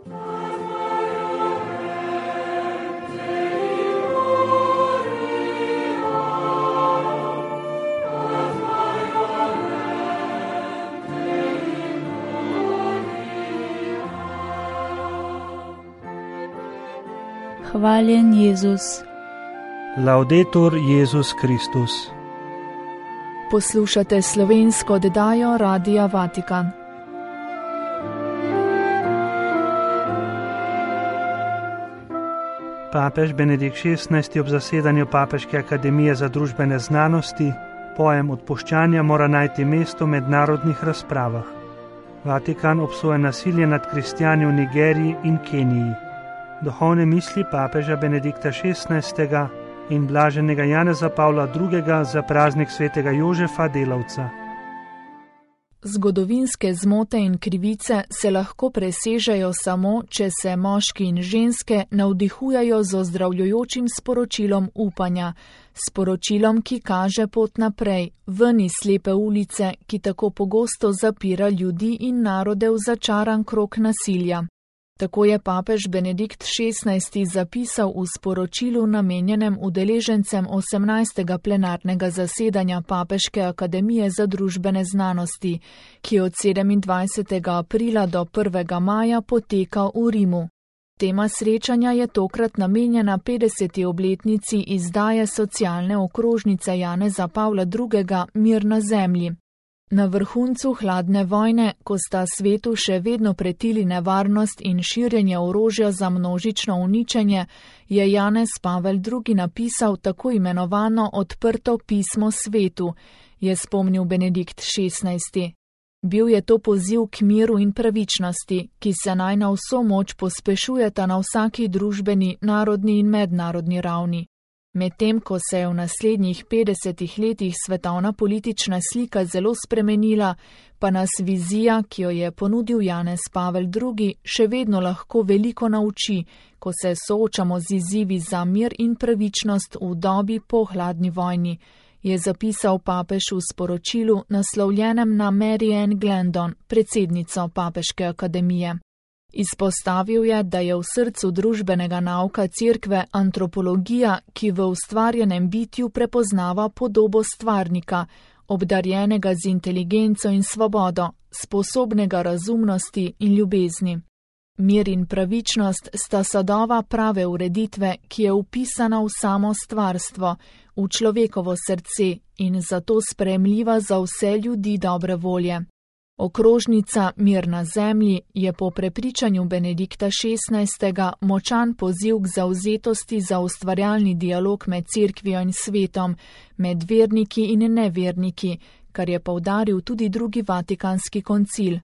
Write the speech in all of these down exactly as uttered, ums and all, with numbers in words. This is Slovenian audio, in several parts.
Hvaljen Jezus. Laudetur Jezus Kristus. Poslušate slovensko oddajo Radia Vatikan. Papež Benedikt šestnajsti ob zasedanju Papeške akademije za družbene znanosti pojem odpuščanja mora najti mesto v mednarodnih razpravah. Vatikan obsoja nasilje nad kristjani v Nigeriji in Keniji. Duhovne misli papeža Benedikta šestnajstega in blaženega Janeza Pavla drugega za praznik svetega Jožefa Delavca. Zgodovinske zmote in krivice se lahko presežejo samo, če se moški in ženske navdihujajo z ozdravljujočim sporočilom upanja, sporočilom, ki kaže pot naprej, ven iz slepe ulice, ki tako pogosto zapira ljudi in narode v začaran krog nasilja. Tako je papež Benedikt šestnajsti zapisal v sporočilu namenjenem udeležencem osemnajstega plenarnega zasedanja Papeške akademije za družbene znanosti, ki od sedemindvajsetega aprila do prvega maja poteka v Rimu. Tema srečanja je tokrat namenjena petdeseti obletnici izdaje socialne okrožnice Janeza Pavla drugega Mir na zemlji. Na vrhuncu hladne vojne, ko sta svetu še vedno pretili nevarnost in širjenje orožja za množično uničenje, je Janez Pavel drugi napisal tako imenovano odprto pismo svetu, je spomnil Benedikt šestnajsti. Bil je to poziv k miru in pravičnosti, ki se naj na vso moč pospešujeta na vsaki družbeni, narodni in mednarodni ravni. Medtem ko se je v naslednjih petdesetih letih svetovna politična slika zelo spremenila, pa nas vizija, ki jo je ponudil Janez Pavel drugi, še vedno lahko veliko nauči, ko se soočamo z izzivi za mir in pravičnost v dobi po hladni vojni, je zapisal papež v sporočilu naslovljenem na Mary Ann Glendon, predsednico Papeške akademije. Izpostavil je, da je v srcu družbenega nauka Cerkve antropologija, ki v ustvarjenem bitju prepoznava podobo stvarnika, obdarjenega z inteligenco in svobodo, sposobnega razumnosti in ljubezni. Mir in pravičnost sta sadova prave ureditve, ki je vpisana v samo stvarstvo, v človekovo srce in zato sprejemljiva za vse ljudi dobre volje. Okrožnica Mir na zemlji je po prepričanju Benedikta šestnajstega močan poziv k zavzetosti za ustvarjalni dialog med Cerkvijo in svetom, med verniki in neverniki, kar je poudaril tudi drugi Vatikanski koncil.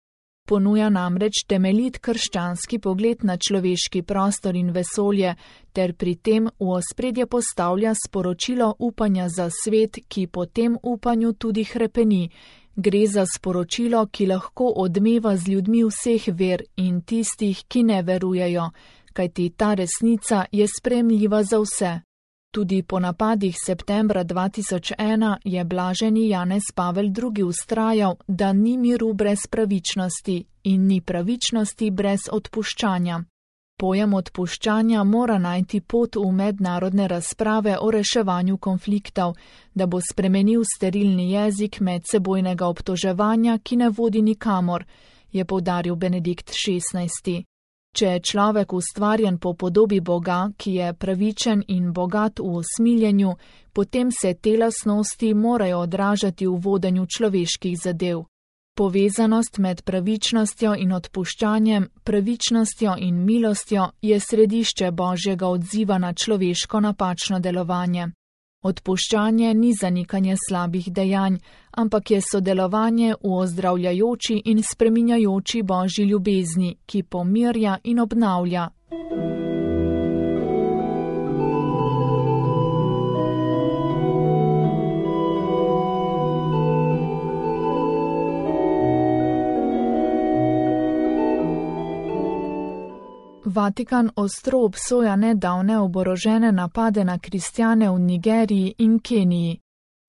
Ponuja namreč temeljit krščanski pogled na človeški prostor in vesolje, ter pri tem v ospredje postavlja sporočilo upanja za svet, ki po tem upanju tudi hrepeni. Gre za sporočilo, ki lahko odmeva z ljudmi vseh ver in tistih, ki ne verujejo, kajti ta resnica je sprejemljiva za vse. Tudi po napadih septembra dva tisoč ena je blaženi Janez Pavel drugi vztrajal, da ni miru brez pravičnosti in ni pravičnosti brez odpuščanja. Pojem odpuščanja mora najti pot v mednarodne razprave o reševanju konfliktov, da bo spremenil sterilni jezik medsebojnega obtoževanja, ki ne vodi nikamor, je poudaril Benedikt šestnajsti. Če je človek ustvarjen po podobi Boga, ki je pravičen in bogat v usmiljenju, potem se te lastnosti morajo odražati v vodenju človeških zadev. Povezanost med pravičnostjo in odpuščanjem, pravičnostjo in milostjo je središče Božjega odziva na človeško napačno delovanje. Odpuščanje ni zanikanje slabih dejanj, ampak je sodelovanje v ozdravljajoči in spreminjajoči Božji ljubezni, ki pomirja in obnavlja. Vatikan ostro obsoja nedavne oborožene napade na kristjane v Nigeriji in Keniji.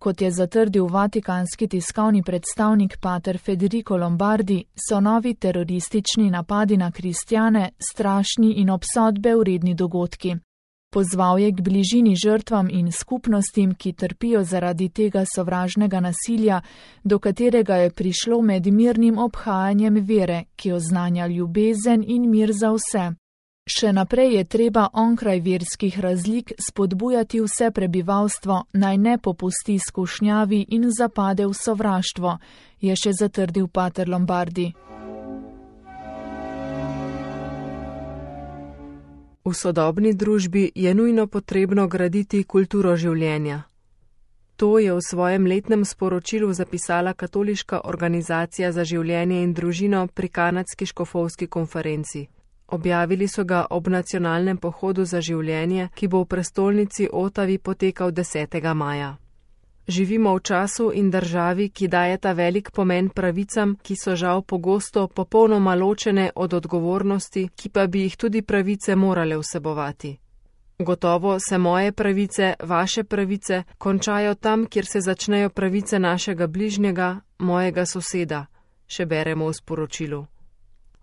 Kot je zatrdil vatikanski tiskovni predstavnik pater Federico Lombardi, so novi teroristični napadi na kristjane strašni in obsodbe vredni dogodki. Pozval je k bližini žrtvam in skupnostim, ki trpijo zaradi tega sovražnega nasilja, do katerega je prišlo med mirnim obhajanjem vere, ki oznanja ljubezen in mir za vse. Še naprej je treba onkraj verskih razlik spodbujati vse prebivalstvo, naj ne popusti skušnjavi in zapade v sovraštvo, je še zatrdil pater Lombardi. V sodobni družbi je nujno potrebno graditi kulturo življenja. To je v svojem letnem sporočilu zapisala Katoliška organizacija za življenje in družino pri Kanadski škofovski konferenci. Objavili so ga ob nacionalnem pohodu za življenje, ki bo v prestolnici Otavi potekal desetega maja. Živimo v času in državi, ki dajeta velik pomen pravicam, ki so žal pogosto popolnoma ločene od odgovornosti, ki pa bi jih tudi pravice morale vsebovati. Gotovo se moje pravice, vaše pravice, končajo tam, kjer se začnejo pravice našega bližnjega, mojega soseda, še beremo v sporočilu.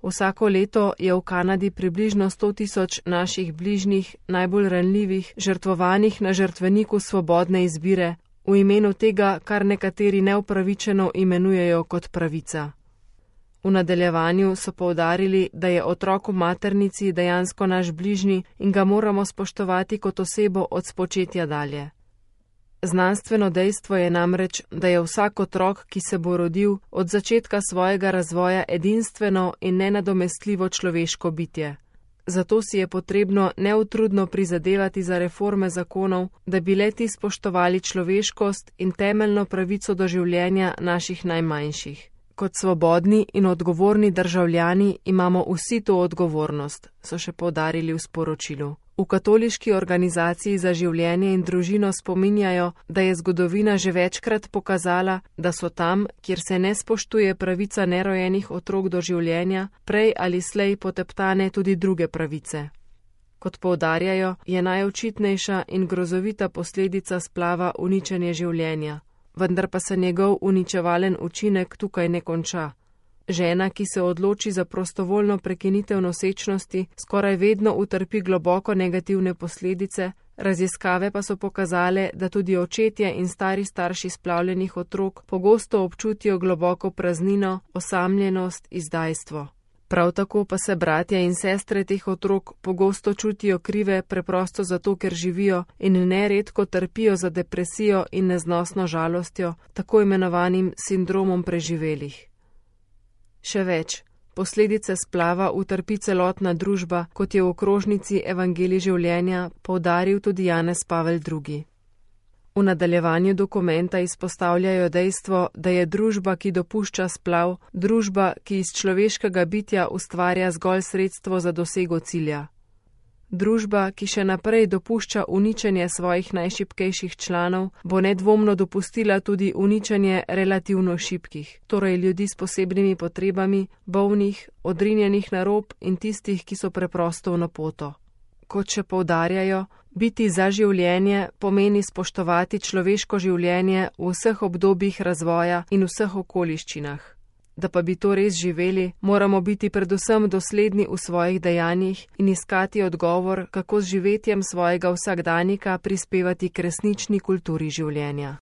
Vsako leto je v Kanadi približno sto tisoč naših bližnjih, najbolj ranljivih, žrtvovanih na žrtveniku svobodne izbire, v imenu tega, kar nekateri neupravičeno imenujejo kot pravica. V nadaljevanju so poudarili, da je otrok v maternici dejansko naš bližnji in ga moramo spoštovati kot osebo od spočetja dalje. Znanstveno dejstvo je namreč, da je vsak otrok, ki se bo rodil, od začetka svojega razvoja edinstveno in nenadomestljivo človeško bitje. Zato si je potrebno neutrudno prizadevati za reforme zakonov, da bi le ti spoštovali človeškost in temeljno pravico do življenja naših najmanjših. Kot svobodni in odgovorni državljani imamo vsi to odgovornost, so še poudarili v sporočilu. V Katoliški organizaciji za življenje in družino spominjajo, da je zgodovina že večkrat pokazala, da so tam, kjer se ne spoštuje pravica nerojenih otrok do življenja, prej ali slej poteptane tudi druge pravice. Kot poudarjajo, je najočitnejša in grozovita posledica splava uničenje življenja, vendar pa se njegov uničevalen učinek tukaj ne konča. Žena, ki se odloči za prostovoljno prekinitev nosečnosti, skoraj vedno utrpi globoko negativne posledice, raziskave pa so pokazale, da tudi očetje in stari starši splavljenih otrok pogosto občutijo globoko praznino, osamljenost, izdajstvo. Prav tako pa se bratje in sestre teh otrok pogosto čutijo krive preprosto zato, ker živijo in neredko trpijo za depresijo in neznosno žalostjo, tako imenovanim sindromom preživelih. Še več, posledice splava utrpi celotna družba, kot je v okrožnici Evangelij življenja poudaril tudi Janez Pavel drugi. V nadaljevanju dokumenta izpostavljajo dejstvo, da je družba, ki dopušča splav, družba, ki iz človeškega bitja ustvarja zgolj sredstvo za dosego cilja. Družba, ki še naprej dopušča uničenje svojih najšibkejših članov, bo nedvomno dopustila tudi uničenje relativno šibkih, torej ljudi s posebnimi potrebami, bolnih, odrinjenih na rob in tistih, ki so preprosto v napoto. Kot še poudarjajo, biti za življenje pomeni spoštovati človeško življenje v vseh obdobjih razvoja in vseh okoliščinah. Da pa bi to res živeli, moramo biti predvsem dosledni v svojih dejanjih in iskati odgovor, kako z živetjem svojega vsakdanika prispevati k resnični kulturi življenja.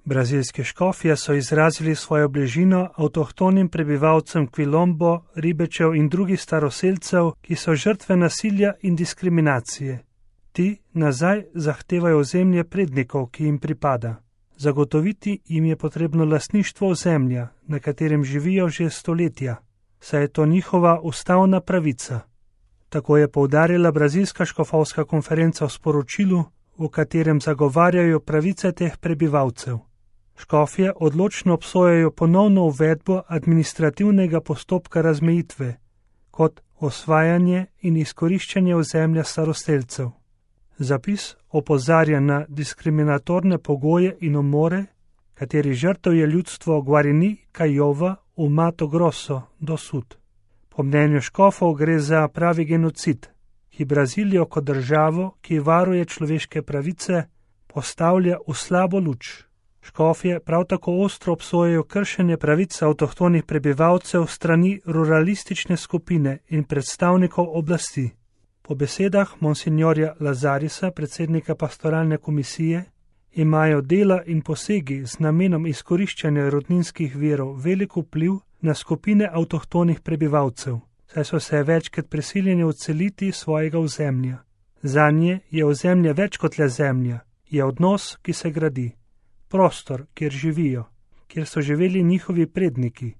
Brazilske škofje so izrazili svojo bližino avtohtonim prebivalcem Quilombo, Ribečev in drugih staroselcev, ki so žrtve nasilja in diskriminacije. Ti nazaj zahtevajo ozemlje prednikov, ki jim pripada. Zagotoviti jim je potrebno lastništvo ozemlja, na katerem živijo že stoletja, saj je to njihova ustavna pravica. Tako je poudarila Brazilska škofovska konferenca v sporočilu, v katerem zagovarjajo pravice teh prebivalcev. Škofje odločno obsojajo ponovno uvedbo administrativnega postopka razmejitve, kot osvajanje in izkoriščanje ozemlja staroselcev. Zapis opozarja na diskriminatorne pogoje in umore, kateri žrtev je ljudstvo Guarani Kaiova v Mato Grosso do Sud. Po mnenju škofov gre za pravi genocid, ki Brazilijo kot državo, ki varuje človeške pravice, postavlja v slabo luč. Škofje prav tako ostro obsojajo kršenje pravic avtohtonih prebivalcev strani ruralistične skupine in predstavnikov oblasti. Po besedah monsinjorja Lazarisa, predsednika pastoralne komisije, imajo dela in posegi z namenom izkoriščanja rodninskih virov velik vpliv na skupine avtohtonih prebivalcev, saj so se večkrat prisiljeni odseliti svojega ozemlja. Zanje je ozemlje več kot le zemlja, je odnos, ki se gradi. Prostor, kjer živijo, kjer so živeli njihovi predniki,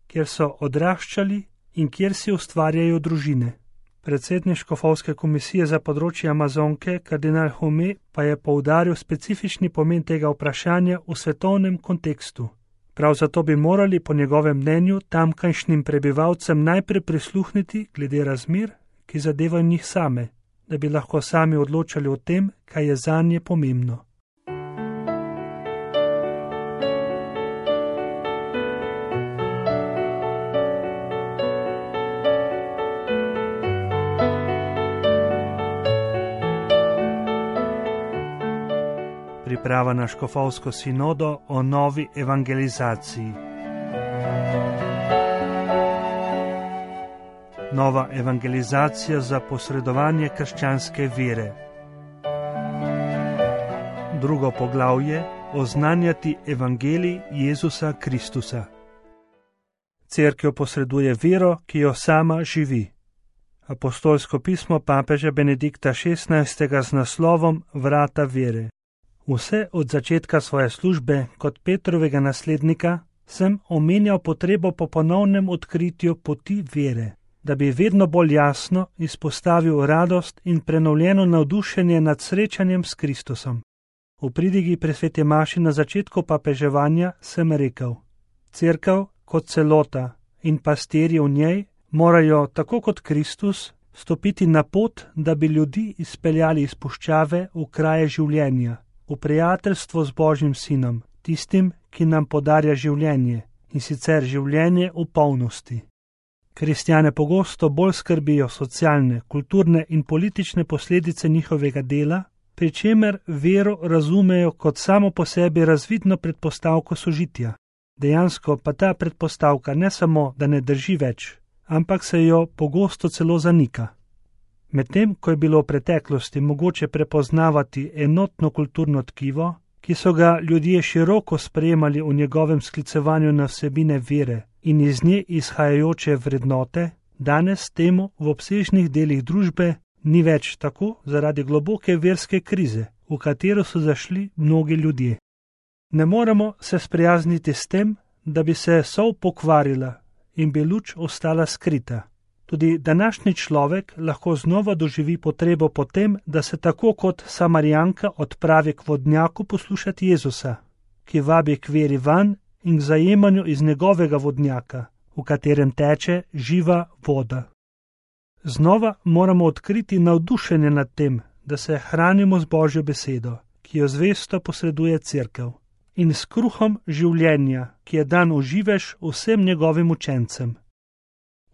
kjer so odraščali in kjer si ustvarjajo družine. Predsednik škofovske komisije za področje Amazonke, kardinal Hume, pa je poudaril specifični pomen tega vprašanja v svetovnem kontekstu. Prav zato bi morali po njegovem mnenju tamkajšnjim prebivalcem najprej prisluhniti glede razmer, ki zadevajo njih same, da bi lahko sami odločali o tem, kaj je zanje pomembno. Priprava na škofovsko sinodo o novi evangelizaciji. Nova evangelizacija za posredovanje krščanske vere. Drugo poglavje: oznanjati evangelij Jezusa Kristusa. Cerkev posreduje vero, ki jo sama živi. Apostolsko pismo papeža Benedikta šestnajstega z naslovom Vrata vere. Vse od začetka svoje službe kot Petrovega naslednika sem omenjal potrebo po ponovnem odkritju poti vere, da bi vedno bolj jasno izpostavil radost in prenovljeno navdušenje nad srečanjem s Kristusom. V pridigi pri sveti maši na začetku papeževanja sem rekel: Cerkev kot celota in pastirji v njej morajo, tako kot Kristus, stopiti na pot, da bi ljudi izpeljali iz puščave v kraje življenja, v prijateljstvo z Božjim sinom, tistim, ki nam podarja življenje, in sicer življenje v polnosti. Kristjane pogosto bolj skrbijo socialne, kulturne in politične posledice njihovega dela, pri čemer vero razumejo kot samo po sebi razvidno predpostavko sožitja. Dejansko pa ta predpostavka ne samo, da ne drži več, ampak se jo pogosto celo zanika. Medtem, ko je bilo v preteklosti mogoče prepoznavati enotno kulturno tkivo, ki so ga ljudje široko sprejemali v njegovem sklicevanju na vsebine vere in iz nje izhajajoče vrednote, danes temu v obsežnih delih družbe ni več tako zaradi globoke verske krize, v katero so zašli mnogi ljudje. Ne moremo se sprijazniti s tem, da bi se sol pokvarila in bi luč ostala skrita. Tudi današnji človek lahko znova doživi potrebo po tem, da se tako kot Samarijanka odpravi k vodnjaku poslušati Jezusa, ki vabi k veri vanj in k zajemanju iz njegovega vodnjaka, v katerem teče živa voda. Znova moramo odkriti navdušenje nad tem, da se hranimo z Božjo besedo, ki jo zvesto posreduje Cerkev, in s kruhom življenja, ki je dan v živež vsem njegovim učencem.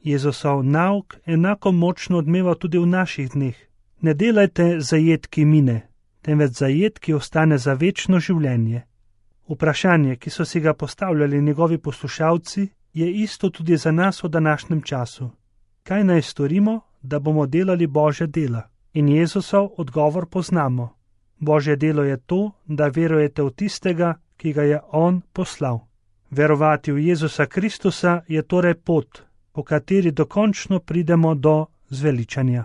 Jezusov nauk enako močno odmeva tudi v naših dneh. Ne delajte zajet, ki mine, temveč zajet, ki ostane za večno življenje. Vprašanje, ki so si ga postavljali njegovi poslušalci, je isto tudi za nas v današnjem času. Kaj naj storimo, da bomo delali Božja dela? In Jezusov odgovor poznamo. Božje delo je to, da verujete v tistega, ki ga je On poslal. Verovati v Jezusa Kristusa je torej pot, po kateri dokončno pridemo do zveličanja.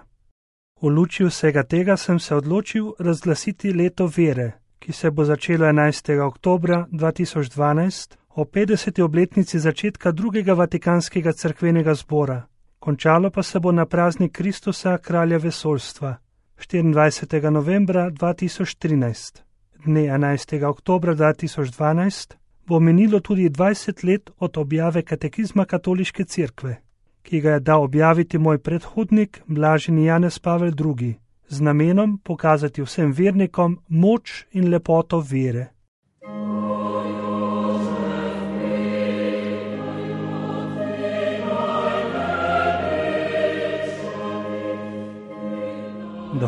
V luči vsega tega sem se odločil razglasiti leto vere, ki se bo začelo enajstega oktobra dva tisoč dvanajst o petdeseti obletnici začetka drugega Vatikanskega cerkvenega zbora. Končalo pa se bo na praznik Kristusa, kralja vesoljstva, štiriindvajsetega novembra dva tisoč trinajst. Dne enajstega oktobra dva tisoč dvanajst bo minilo tudi dvajset let od objave katekizma Katoliške cerkve, ki ga je dal objaviti moj predhodnik, blaženi Janez Pavel drugi, z namenom pokazati vsem vernikom moč in lepoto vere.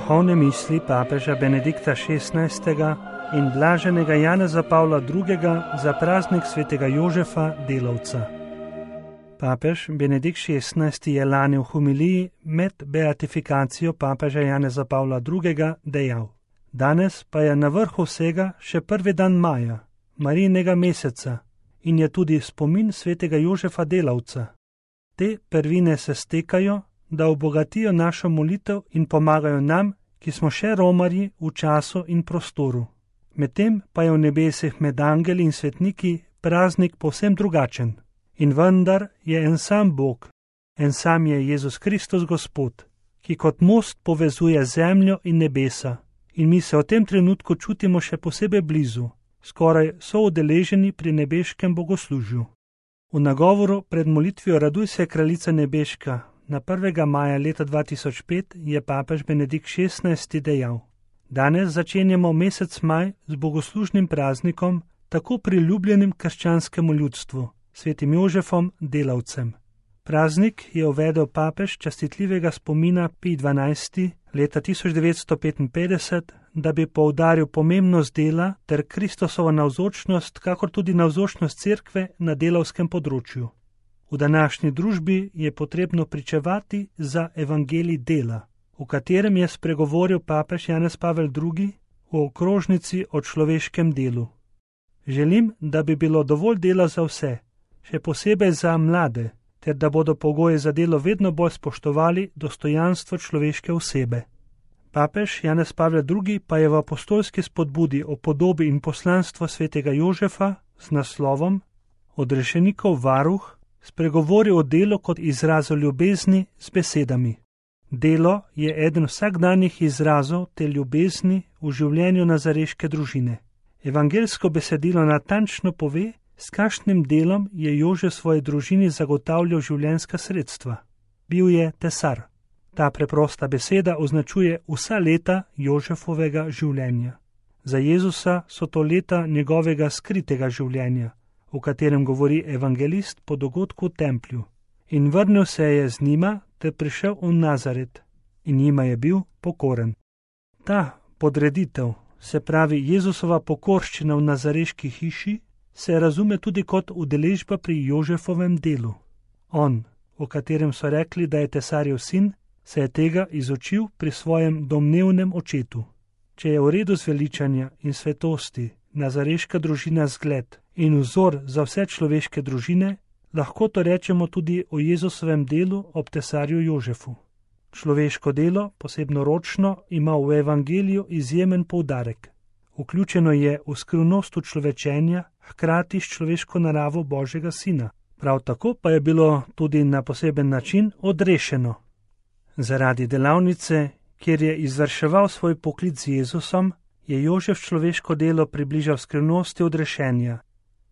duhovne misli papeža Benedikta šestnajstega in blaženega Janeza Pavla drugega za praznik svetega Jožefa Delavca. Papež Benedikt šestnajsti je lani v homiliji med beatifikacijo papeža Janeza Pavla drugega dejal: Danes pa je na vrhu vsega še prvi dan maja, Marijinega meseca, in je tudi spomin svetega Jožefa Delavca. Te prvine se stekajo, da obogatijo našo molitev in pomagajo nam, ki smo še romarji v času in prostoru. Medtem pa je v nebesih med angeli in svetniki praznik povsem drugačen. In vendar je en sam Bog, en sam je Jezus Kristus Gospod, ki kot most povezuje zemljo in nebesa, in mi se v tem trenutku čutimo še posebej blizu, skoraj soudeleženi pri nebeškem bogoslužju. V nagovoru pred molitvijo Raduj se, kraljica nebeška, na prvega maja leta dva tisoč pet je papež Benedikt šestnajsti dejal: Danes začenjamo mesec maj z bogoslužnim praznikom, tako priljubljenim krščanskemu ljudstvu, svetim Jožefom Delavcem. Praznik je uvedel papež častitljivega spomina Pij dvanajsti leta tisoč devetsto petinpetdeset, da bi poudaril pomembnost dela ter Kristosovo navzočnost, kakor tudi navzočnost cerkve na delavskem področju. V današnji družbi je potrebno pričevati za evangelij dela, v katerem je spregovoril papež Janez Pavel drugi v okrožnici o človeškem delu. Želim, da bi bilo dovolj dela za vse, še posebej za mlade, ter da bodo pogoji za delo vedno bolj spoštovali dostojanstvo človeške osebe. Papež Janez Pavel drugi pa je v apostolski spodbudi o podobi in poslanstvu svetega Jožefa z naslovom Odrešenikov varuh spregovoril o delu kot izrazu ljubezni z besedami. Delo je eden vsakdanjih izrazov te ljubezni v življenju nazareške družine. Evangelsko besedilo natančno pove, s kakšnim delom je Jožef svoji družini zagotavljal življenjska sredstva. Bil je tesar. Ta preprosta beseda označuje vsa leta Jožefovega življenja. Za Jezusa so to leta njegovega skritega življenja, v katerem govori evangelist po dogodku v templju. In vrnil se je z njima ter prišel v Nazaret in njima je bil pokoren. Ta podreditev, se pravi Jezusova pokorščina v nazareški hiši, se razume tudi kot udeležba pri Jožefovem delu. On, o katerem so rekli, da je tesarjev sin, se je tega izučil pri svojem domnevnem očetu. Če je v redu zveličanja in svetosti nazareška družina zgled in vzor za vse človeške družine, lahko to rečemo tudi o Jezusovem delu ob tesarju Jožefu. Človeško delo, posebno ročno, ima v evangeliju izjemen poudarek. Vključeno je v skrivnost človečenja, hkrati s človeško naravo Božjega sina. Prav tako pa je bilo tudi na poseben način odrešeno. Zaradi delavnice, kjer je izvrševal svoj poklic z Jezusom, je Jožef človeško delo približal skrivnosti odrešenja.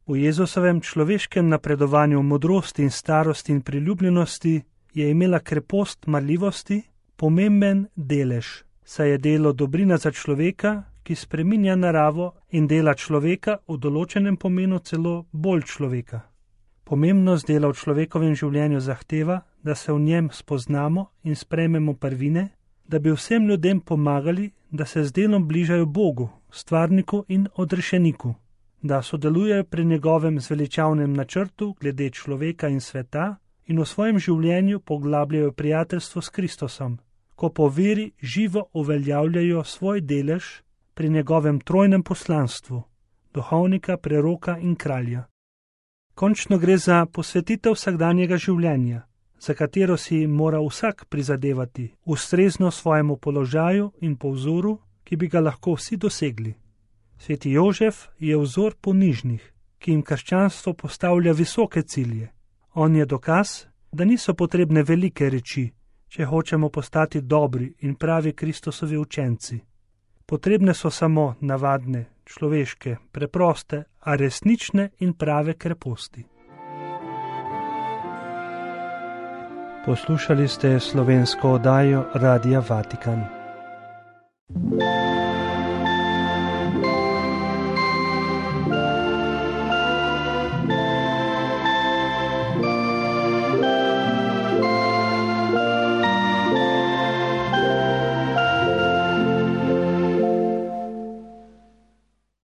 V Jezusovem človeškem napredovanju v modrosti in starosti in priljubljenosti je imela krepost marljivosti pomemben delež, saj je delo dobrina za človeka, ki spreminja naravo in dela človeka v določenem pomenu celo bolj človeka. Pomembnost dela v človekovem življenju zahteva, da se v njem spoznamo in sprejmemo prvine, da bi vsem ljudem pomagali, da se z delom bližajo Bogu, stvarniku in odrešeniku, da sodelujejo pri njegovem zveličavnem načrtu glede človeka in sveta in v svojem življenju poglabljajo prijateljstvo s Kristosom, ko po veri živo uveljavljajo svoj delež pri njegovem trojnem poslanstvu, duhovnika, preroka in kralja. Končno gre za posvetitev vsakdanjega življenja, za katero si mora vsak prizadevati, ustrezno svojemu položaju in po vzoru, ki bi ga lahko vsi dosegli. Sveti Jožef je vzor ponižnih, ki jim krščanstvo postavlja visoke cilje. On je dokaz, da niso potrebne velike reči, če hočemo postati dobri in pravi Kristosovi učenci. Potrebne so samo navadne, človeške, preproste, a resnične in prave kreposti. Poslušali ste slovensko oddajo Radia Vatikan.